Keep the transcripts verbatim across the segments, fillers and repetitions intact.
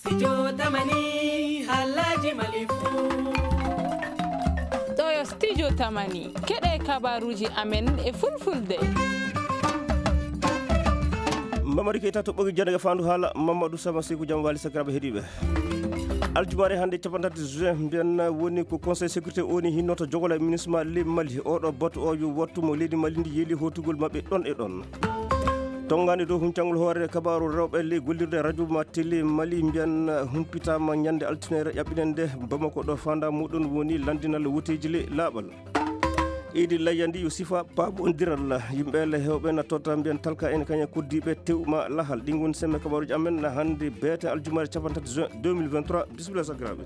Studio Tamani, halaji Mali fu. Ɗo yo Studio Tamani, keɗe kabaruji amen e fulfulde. Mamadi Keita to ɓogi jande fandu hala Mamadou Sama Sekou, jam wali sakiraɓe heɗiɓe. Aljumare hande capantati juin mbiyan woni ko Conseil sécurité oni hinnoto jogola ministre ma le Mali. Oɗo batu o yo wattu mo leydi Mali ndi yeli hotugol maɓɓe ɗon e ɗon. Tongani dow huncangol hoore kabaru rewɓe ley gollirde radio ma télé Mali mbiyan humpitama ñande altinere ƴaɓɓinende Bamako ɗo fanda muɗum woni landinal woteji le laaɓal. Idi layyandi yo sifa pabondiral yimɓe le hewɓe na totta mbiyan talka en kaña koddiɓe tew ma lahal ɗi gon semme kabaruji amen na hande beete aljumare capantati juin deux mille vingt-trois. Bisimilla sakiraɓe.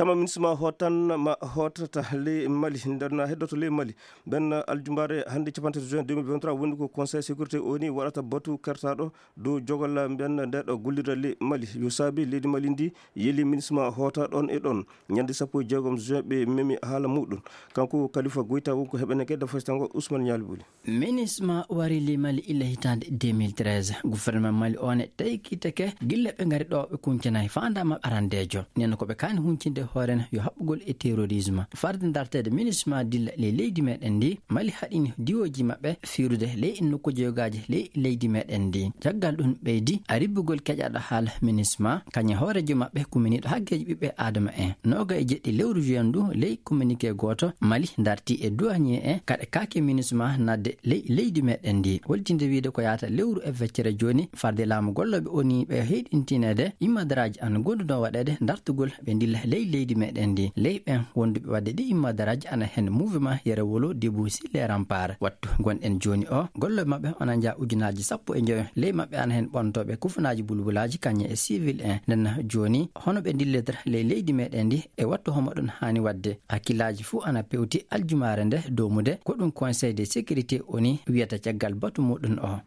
Tama ministre ma hotan ma hotata le Mali nder na heddoto le Mali. Ɓen aljumare hande capantati juin deux mille vingt-trois woni ko Conseil sécurité oni waɗata batu kertaɗo dow jogal mbiyan nde ɗo gollirde le Mali yo saabi leydi Mali ndi yeli ministre ma hoota ɗon e ɗon. Ñande sappo e jeegom juin ɓe memi haala muɗum. Kanko Kalifa Goyta wonko heɓene kedda fasitango Ousmane Ñaali Buli. Minisma wari le Mali illa hitaande deux mille treize. Gouvernement Mali o ne taykitake gilla ɓe ngari ɗo ɓe kuncanayi fanda maɓɓe arandejo. Nen ko ɓe kani huncinde hoore no yo haɓɓugol e terrorisme. Farde dartede minisma dilla le leydi meɗen ndi, Mali haɗini diwoji maɓɓe firude le nokkuji yogaji le leydi meɗen ndi. Caggal ɗum ɓeydi a ribbugol keƴaɗo haala minisma, kañe hoorejo maɓɓe kuminiɗo haggeji ɓiɓɓe Adama en. Noga e jeɗɗi lewru juin ndu ley communiqué goto, Mali darti e douanier en kaɗa kaake minisma nadde ley leydi meɗen ndi. Holtinde wiide ko yahata lewru e feccere joni, farde laamu golloɓe oni ɓe heyɗintinede immadaraji an gonduno waɗede dartugol ɓe dilla ley leydi meɗen ndi. Ley ɓen wonduɓe wadde ɗi immadaraji ana hen mouvement Yere Wolo Debout sur les Remparts. Wattu gonɗen joni o, golloɓe maɓɓe ana jaa ujunaji sappo e joyo. Ley maɓɓe ana hen ɓontoɓe kufunaji bulbulaji kañe e civil en. Nden joni hono ɓe dillidata ley leydi meɗen ndi e wattu homo ɗon hani wadde. Hakkillaji fuu ana pewti aljumare nde domude ko ɗum Conseil de sécurité oni wiyata caggal batu muɗum o.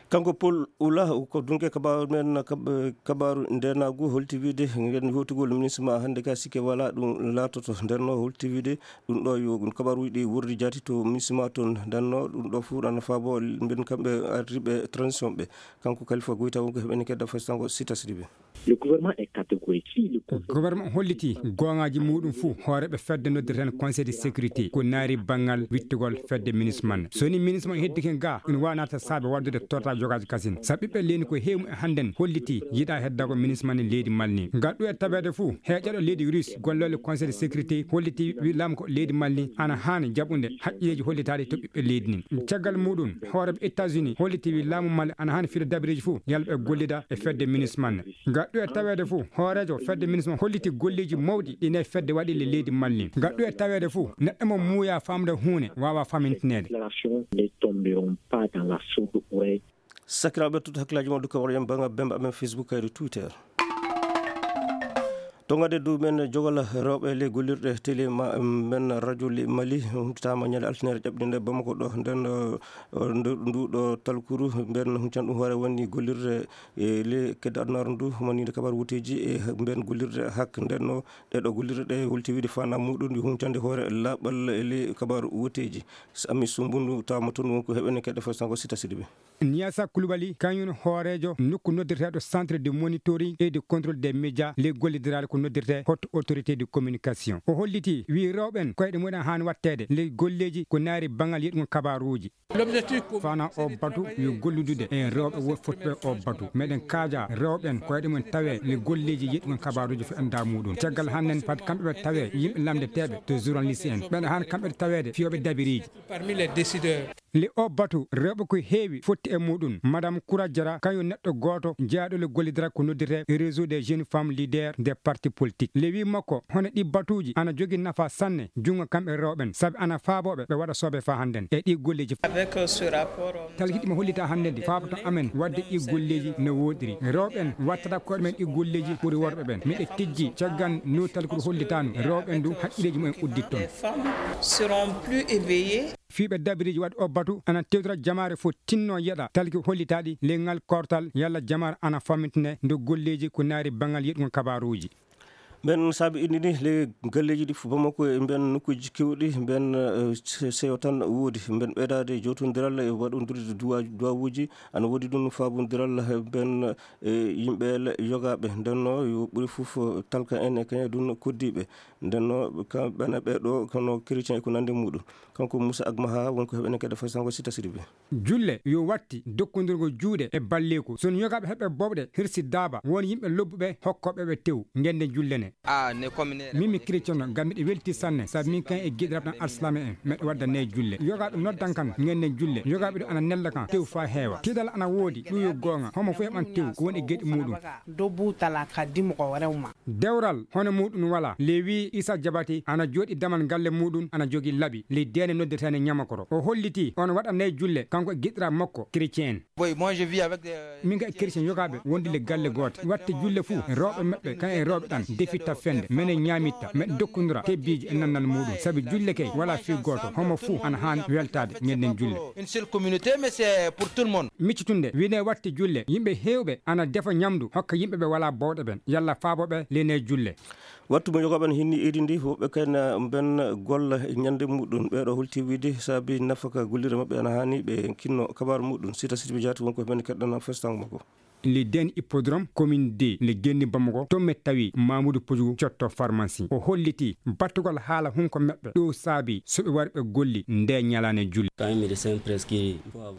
Kanko Paul Oula ko dunke kabaru men kab-, kabaru ndenagu holti wiide ngeen hotugol ministre ma hannde ka sikke wala ɗum laatoto. Ndenno holti wiide ɗum ɗo yo ɗum kabaruji ɗi wurdi jaati to ministre ma toon. Ndenno ɗum ɗo fof ana faabo mbiyen kamɓe ardiɓe transition ɓe. Kanko Kalifa Goyta wonko heɓeni kedda fasitango Sita Sidibe. Le gouvernement est catégorique. Si le Conseil Gouvernement holliti goongaaji muɗum fuu hooreɓe fedde noddirten Conseil de sécurité ko naari banngal wittugol fedde minisman. So ni minisman heddike ga, ina wawi naata saabe waddude torta jogaaji kasin. Sa ɓiɓɓe leydi ko heewi e hannden holliti yiɗa heddago minisman e leydi Mali ni. Ngal ɗo e taweede fuu heeƴaɗo leydi Russe golloole Conseil de sécurité holliti wi laamu ko leydi Mali ni ana haani jaɓude haqqilleeji hollitaaɗi to ɓiɓɓe leydi ni. Caggal muɗum hooreɓe États-Unis holliti wi laamu Mali ana haani fiɗo dabireeji fuu yalla ɓe gollida e fedde minisman. Ngal ɗo e taweede fuu hooreejo fedde minisman holliti golleeji mawɗi ɗi ne fedde waɗi le leydi Mali. Ngal ɗo e taweede fuu neɗɗo mo muuya famde huune wawa famintineede. Déclaration ne tomberont pas dans la sourde oreille. Sakiraaɓe, ɓe tutto hakkillaaji mon, dukka waɗa en bannga bemba amen Facebook kayri Twitter. To ngade du men jogola rewɓe le gollirɗe télé ma men radio le Mali huntitama ñande altinere ƴaɓɓinde nde Bamako ɗo. Nden, eh, ndu, ndu ɗo talkuru mben huncan ɗum hoore woni gollirde e le kedde adunaaru ndu manide kabaru wuteji e mben gollirde hak. Ndenno ɗe ɗo gollirɗe ɗe holti wiide fana muɗum ndi huncande hoore laɓal e le kabaru wuteji. Ami Sumbundu tawama toon wonko heɓene kedde fasitango Sita Sidibe. Niasa Koulibaly, kañum hooreejo nokku noddirteeɗo Centre de Monitoring et de Contrôle des Médias, ley gollidiraali ko noddirtee Haute Autorité de Communication. O holliti, wi rewɓe en koyɗe mumen haani watteede ley golleeji ko naari banngal yeɗugol kabaaruuji. Fana o batu yo golludude e rewɓe won fotɓe o batu. Meɗen kaaja rewɓe en koyɗe mumen tawe le golleeji yeɗugol kabaaruuji fo enda muɗum. Caggal hannden fat kamɓe ɓe tawe yimɓe lamndeteeɓe to journaliste en. Ɓeɗa haani kamɓe taweede fiyooɓe dabiriiji. Parmi les décideurs. Le o batu rewɓe ko heewi fotti e muɗum. Madame Koura Diarra, kañum neɗɗo gooto jeyaaɗo le gollidiral ko noddirte Réseau des jeunes femmes leaders des partis politiques. Le wi makko, hono ɗi batuuji ana jogii nafa sanne junngo kamɓe rewɓe en, sabi ana faabooɓe ɓe waɗa soobe faa hannden e ɗi golleeji. Avec, euh, ce rapport, euh, talkiɗi mo hollita hannden ɗi faaboto amen waɗde ɗi golleeji no wooɗiri. Rewɓe en wattata koye ɗumen ɗi golleeji ɓuri worɓe ɓen. Miɗe tijji caggal no talkuru hollitano rewɓe en du haqqilleeji mumen udditton. Les femmes seront plus éveillées. Fiiɓe dabiriiji waɗi o batu ana tewtira jamaare fof tinno yeɗa talki hollitaaɗi ley ngal kortal yalla jamaare ana famintine nde golleeji ko naari banngal yeɗugol kabaaruuji. Mbeɗen saabi indi ni le galleeji ɗi fof Bamako e mbeɗen nokkuuji keewɗi mbeɗen seyo tan woodi mbeɗen ɓeydaade jootondiral e waɗondirde duwawuuji ana woodi ɗum faabondiral mbeɗen e yimɓe le yogaaɓe ndenno yo ɓuri fof talka en e kañe ɗum koddiiɓe ndenno kamɓene ɓeɗo kono chrétien e ko nandi muɗum kanko Moussa Agmaha wonko heɓene kede fasango sita siribe. Julle yo watti dokkondirgo juuɗe e balleeku son yogaaɓe heɓɓe boɓɗe hirsi daaba won yimɓe lobbuɓe hokkooɓe ɓe tew ngende julle ne. Min mi chrétien no ngam miɗo welti sanne sabi min kan e giɗiraɓe tan alsalama en meɗo wadda nayi julle yogaaɓe noddan kan ngenden julle yogaaɓe ɗo ana nella kan tew fa heewa tiɗal ana woodi ɗum yo goonga homo fof heɓan tew ko woni e geɗi muɗum. Debout tala ka dimo ko rewma. Dewral hono muɗum wala lewi isa jabati ana jooɗi damal galle muɗum ana jogii laɓi ley deene noddirteene ñamakoro o holliti on waɗa nayi julle kanko e giɗɗiraaɓe makko chrétien en. Min ga e chrétien yogaaɓe wondi le galle goote watte julle fuu rewɓe maɓɓe kan e rewɓe ɗan defitta fende mene ñaamitta meɗe dokkondira tebbiiji e nannal muɗum sabi julle kay wala fii gooto homo fuu ana haani weltaade ñennden julle. Une seule communauté mais c'est pour tout le monde. Miccitunde wine watte julle yimɓe heewɓe ana defa ñamdu hokka yimɓe ɓe wala bowɗe ɓen yalla faabo ɓe lene julle. Wattu mo yogaaɓe no hinni idi ndi woɓɓe kayna mben golla ñande muɗum ɓeɗo holti wiide saabi nafaka gollirde maɓɓe ana hani ɓe kinno kabaru muɗum sita sita ɓe jaati wonko men keɗɗana festango makko. Le den hippodrome commune de le genni bamako tomme tawi mamoudou pojougou cotto pharmacie o holliti battugol haala hunko meɓɓe ɗo saabi soɓe wari ɓe golli nde ñalane julle.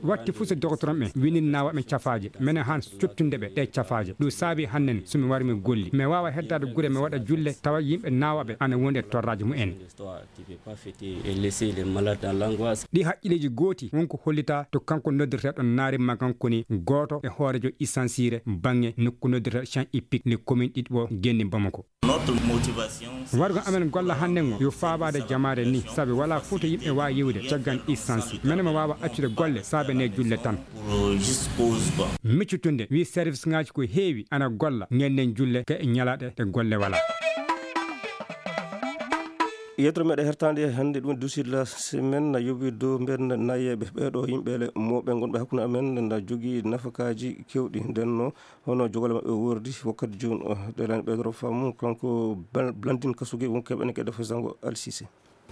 Watti fuu so dogotoron ɓen winin nawa ɓen cafaaje mene han cottunde ɓe ɗe cafaaje ɗum saabi hannen so mi wari mi golli mi wawa heddade gure mi waɗa julle tawa yimɓe nawaɓe ana wondi e torraji mumen. Ɗi haqqilleji gooti wonko hollita to kanko noddirteɗo naari magan koni goto e hoorejo isansiire bange nokku noddirteɗo chan ippic le commune ɗiɗi ɓo genni bamako. Wargo amen golla hannde ngo yo faabaade jamaare ni sabi wala fuu to yimɓe waawi yiwde caggal isansi mene mo waawa accude golle saabe ne julle tan. Miccutunde wi service ngaji ko heewi ana golla ngennen julle ka e ñalaɗe ɗe golle wala. Yetro meɗe hertande hannde ɗum dusid la semaine na yowi dow mben nayeɓe ɓeɗo yimɓele moɓe gonɓe hakkunde amen na jogii nafakaji kewɗi ndenno hono jogole maɓɓe wordi wakkati joni o ɗelani ɓeydoro famu kanko blandin kasuge wonko heɓene kede fasango alsise.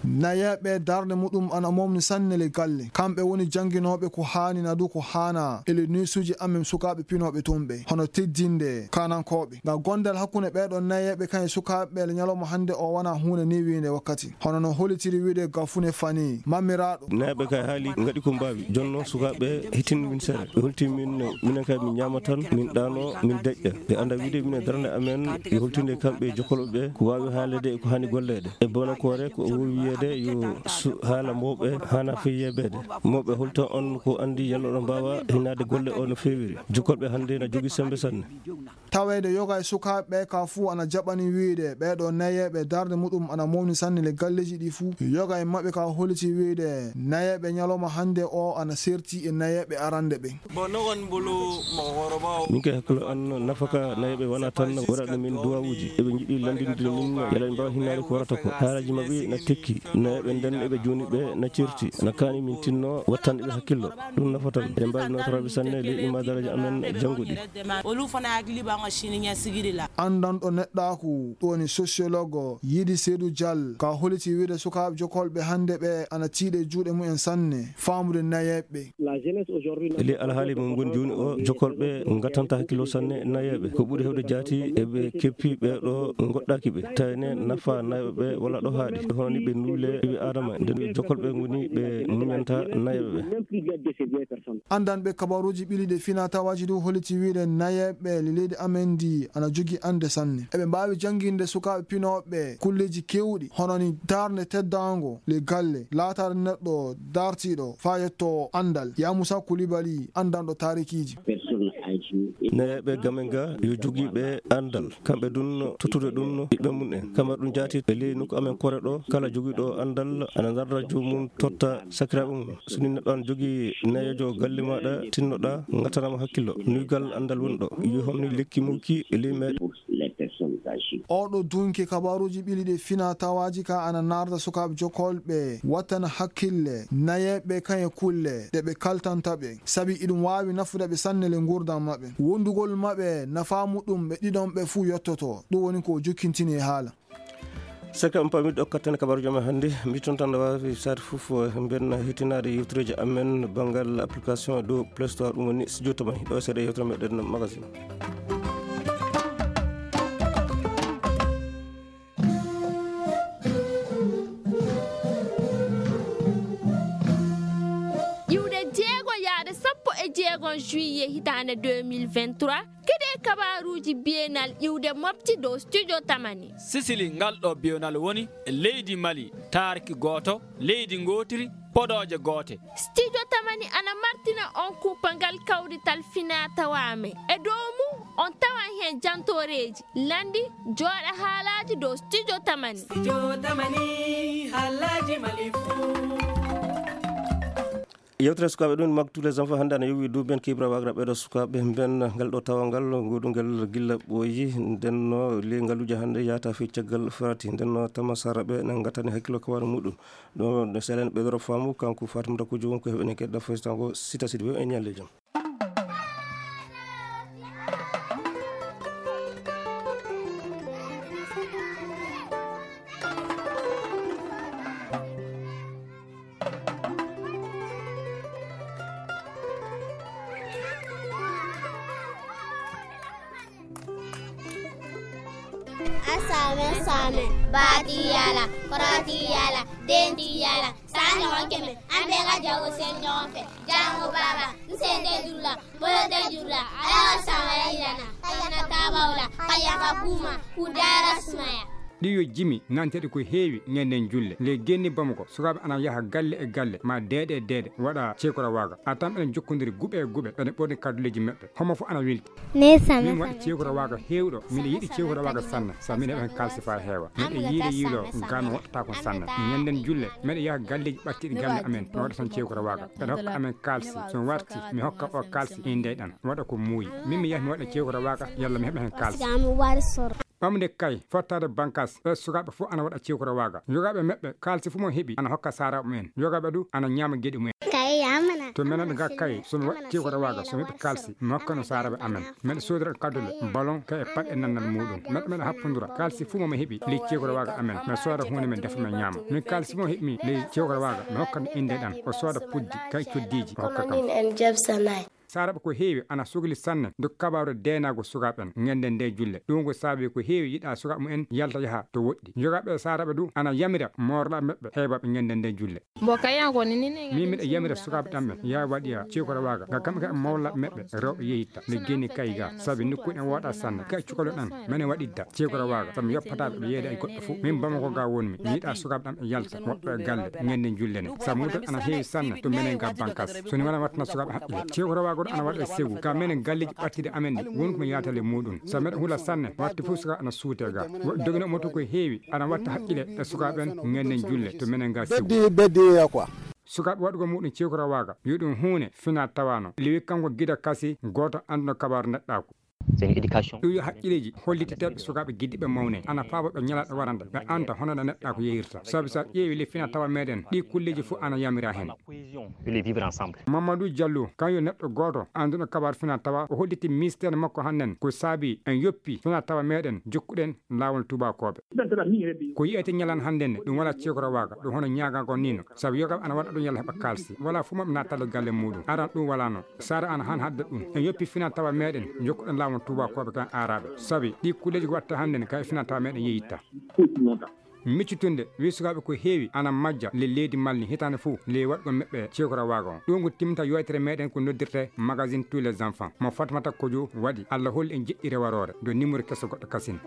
Nayeɓe darde muɗum ana momni sanne le galle kamɓe woni jannginooɓe ko haani nadu ko haana ele nuisuji amen sukaaɓe pinooɓe tumɓe hono teddinde kanankooɓe ngam gondal hakkunde ɓeeɗo nayeɓe kan e sukaaɓe ele ñalawma hannde o wona huunde niwiinde wakkati hono no holitiri wiide gafune fani mamiraaɗo. Nayeɓe kay haali ngaɗi ko mbaawi jonno sukaaɓe hitin min sere ɓe holti min minen kay min ñaama tan min ɗaano min deƴƴa ɓe annda wiide minen darande amen yo holtinde kamɓe jokkoloɓe ɓe ko waawi haalede e ko haani golleede e bonakoore ko o wowi wiyeede yo haala mawɓe haana fii yeebeede mawɓe holta on ko anndi yalla oɗon mbaawa hinnaade golle o no feewiri jokkolɓe hannde na jogii semmbe sanne. Taweede yoga e sukaaɓe ɓe ka fuu ana jaɓani wiide ɓeeɗo nayeeɓe darnde muɗum ana mawni sanne le galleeji ɗi fuu yoga e maɓɓe ka holiti wiide nayeeɓe ñalawma hannde o ana serti e nayeeɓe arande ɓe. Min kay hakkilo an nafaka nayeɓe wona tan waɗaɗo min duwawuji eɓe jiɗi landinde min yala ɓe mbawa hinnade ko warata ko haalaji mabɓe na tekki nayeɓe nden eɓe joni ɓe na certi na kani min tinno wattanɗe ɓe hakkillo ɗum nafatan eɗen mbawi notoraɓe sanne leyɗi ma daraja amen jannguɗi. Andanɗo neɗɗaku ɗoni sociologue yiɗi seedu dial ka holiti wiide sukaɓe jokolɓe hande ɓe ana tiiɗe juuɗe mumen sanne famude nayeɓe. E ley alhaali mo ngoni jooni o jokkolɓe ngattanta hakkillo sanne nayeeɓe ko ɓuri heewde jaati eɓe keppi ɓeeɗo ngoɗɗaaki ɓe tawne nafa nayeeɓe ɓe wala ɗo haaɗi hono ni ɓe nuule ɓiɓe adama nde jokkolɓe ngoni ɓe muñanta nayeeɓe ɓe. Andanɓe kabaruuji ɓiliiɗe fina tawaaji du holliti wiide nayeeɓe le leydi amen ndi ana jogii annde sanne eɓe mbaawi jannginde sukaaɓe pinooɓe kulleeji keewɗi hono ni darnde teddaango le galle laataade neɗɗo dartiiɗo faa yettoo anndal yamusa kulibali anndanɗo taarikiiji. Nayeeɓe gamen ga yo jogii ɓe anndal kamɓe ɗum tottude ɗum ɓiɓɓe mum en kamɓe ɗum jaati e ley nokku amen kore ɗo kala jogiiɗo anndal ana darda joomum totta sakiraaɓe mum so ni neɗɗo ana jogii nayeejo galle maaɗa tinnoɗa ngattanama hakkillo nuygal anndal woni ɗo yo homni lekki mukki e ley meɗe. Oɗo dunki kabaruji ɓili ɗi fina tawaji ka ana narda sukaɓe jokolɓe wattana hakkille nayeɓe kaye kulle ɗe ɓe kaltanta ɓe. Sabi iɗum wawi nafude ɓe sanne le ngurdam maɓɓe. Wondugol maɓɓe nafa muɗum ɓe ɗiɗon ɓe fuu yottoto. Ɗum woni ko o jokkintini e haala. Saka on pami ɗo kattane kabaruji men hannde, mbiton tan no wawi sati fof, eh, mben hetinaade yewtereji amen banngal application dow Play Store, ɗum woni studio tamani. Ɗo seeɗa yewtere meɗen magazine. Iwde jeego yaade sappo e jeego juillet hitaande deux mille vingt-trois, keɗe kabaruuji bienal iwde mofti dow studio tamani. Sisili ngal ɗo bienal woni e leydi Mali, taarki gooto, leydi ngootiri, podooje goote. Studio tamani ana martina on kuupangal kawrital fina tawame. E dow mum on tawan heen jantooreeji, lanndi, jooɗa haalaaji dow studio tamani. Studio tamani, haalaaji Mali fuu. Yewtere sukaaɓe ɗum, Mag tous les enfants, hannde ana yowi duuɓi ben kibra wagra ɓeɗo sukaaɓe ben ngal ɗo tawangal goɗungel gilla ɓooyi. Ndenno le ngaluuje hannde yahata fii caggal farati. Ndenno tama saraɓe na ngatani hakkilo kawara muɗum. Ɗo no selen ɓeɗoro faamu kanko Fatimata Kujo won ko heɓene kedda fesitango sita sidi we en ñalle jam. Asame same, bati yala, korati yala, denti yala, sani honkeme, ambe ga jago sen nyonfe, jango baba, nsende dula, bolo de dula, ala wa sama yirana, kayana tabawla, kayaka kuma, kudara sumaya. Ɗi yo jimi nanteɗi ko heewi ñanden julle. Nde genni Bamako, sukaaɓe ana yaha galle e galle, ma deeɗe e deeɗe, waɗa ceekora waaga. A tan eɗen jokkondiri guɓe e guɓe, eɗen ɓorni kadduleeji meɗɗe. Homo fof ana welti. Min waɗi ceekora waaga heewɗo. Miɗo yiɗi ceekora waaga sanne. Sa min heɓa hen kaalisi faa heewa. Miɗo yiila yiilo, gaa mi woɗɗata kon sanne. Ñanden julle, miɗo yaha galleeji ɓattiɗi galle amen. Mi waɗa tan ceekora waaga. Ɓeɗa hokka amen kaalisi. So mi warti, mi hokka o kaalisi, indey ɗan. Waɗa ko muuyi. Min mi yaha mi waɗa ceekora waaga, yalla mi heɓa hen kaalisi. Ɓamde kay, fottaade bankas, ɓe sukaaɓe fof ana waɗa ceekora waaga. Yogaaɓe meɓɓe, kaalisi fof mo heɓi, ana hokka saaraaɓe mumen. Yogaaɓe du, ana ñaama geɗe mumen. Kay yamana. To menen ga kay, so mi waɗi ceekora waaga, so mi heɓi kaalisi, mi hokka no saaraaɓe amen. Meɗa soodira kaddule, ballon, kay e paɗe nannal muɗum. Meɗa, meɗa happundura, kaalisi fof mo mi heɓi, ley ceekora waaga amen. Mi sooda huunde mi defa mi ñaama. Min kaalisi mo heɓmi, ley ceekora waaga, mi hokka no innde ɗan. O sooda puddi, kay coddiiji, o hokka kam. Min en jabsanay. Saaraɓe ko heewi ana sogli sanne nde kabaaru deenaago sukaaɓe en ñande nde julle. Ɗum ko saabi ko heewi yiɗa sukaaɓe mumen yalta yaha to woɗɗi. Yogaaɓe e saaraɓe du ana yamira moorlaaɓe maɓɓe heewaaɓe ñande nde julle. Mbo kayan ko ni ni ne. Min miɗa yamira sukaaɓe ɗan ɓe yaa waɗiya ceekora waaga. Ngam kamɓe kaɓe mawlaaɓe maɓɓe rewɓe yehitta. Nde geni kay ga. Sabi nokku en woɗa sanne. Kay cukalo ɗan. Mene waɗidda ceekora waaga. Sabi mi yoppataaɓe ɓe yeeda e goɗɗo fof. Min Bamako ga wonmi. Mi yiɗa sukaaɓe ɗan ɓe yalta. Woɗɗo e galle. Ñande julle ne. Sabu mutal ana heewi sanne. To menen ga bankas. So ni wona wattana sukaaɓe haqqille. Ceekora waaga ɗo ana waɗa e segu. Ka menen galleeji ɓattiɗi amen ɗi. Won ko mi yaatale muɗum. Sabu meɗa hula sanne. Watti fof suka ana suute ga. Dogino mo to ko heewi. Ana watta haqqille e sukaaɓe en. Ñande julle. To menen ga segu. Beddi, beddi ya quoi. Sukaaɓe waɗugol muɗum ceekora waaga, yo ɗum huune fina tawano. Lewi kanko gida kasi, gooto annduno kabaaru neɗɗaaku. C'est une éducation. Ɗum yo haqqileeji hollititeeɓe sukaaɓe giddiɓe mawne. Ana faabo ɓe ñalaaɗo warande, ɓe anta hono ɗo neɗɗaaku yehirta. Sabi so a ƴeewi le fina tawa meɗen, ɗi kulleeji fof ana yamira heen. Cohésion et le vivre ensemble. Mamadou Diallo, kan yo neɗɗo gooto annduɗo kabaaru fina tawa, o holliti ministère makko hannden ko saabi en yoppi fina tawa meɗen jokkuɗen laawol tuubakooɓe. Ko yiyete ñalan hannden ne, ɗum wala ceekora waaga, ɗum hono ñaagagol ni no. Sabu yogaaɓe ana waɗa ɗum yalla heɓa kaalisi. Wala fof maɓɓe nattale galle muɗum. Aran ɗum wala no. Sara ana han hadda ɗum. En yoppi fina tawa meɗen, jokkuɗen laawol tuubakooɓe kan aaraɓe. Sabi ɗi kulleeji ko watta hannden ne, kay fina tawa meɗen yeyitta. Miccitunde, wi sukaaɓe ko heewi ana majja le leydi Mali hitaande fof le waɗgol meɓɓe ceekora waaga on. Ɗum ko timta yewtere meɗen ko noddirte magazine tous les enfants. Mo Fatmata Kojo waɗi. Allah holli en jeɗɗi rewaroore. Do numéro keso goɗɗo kasin.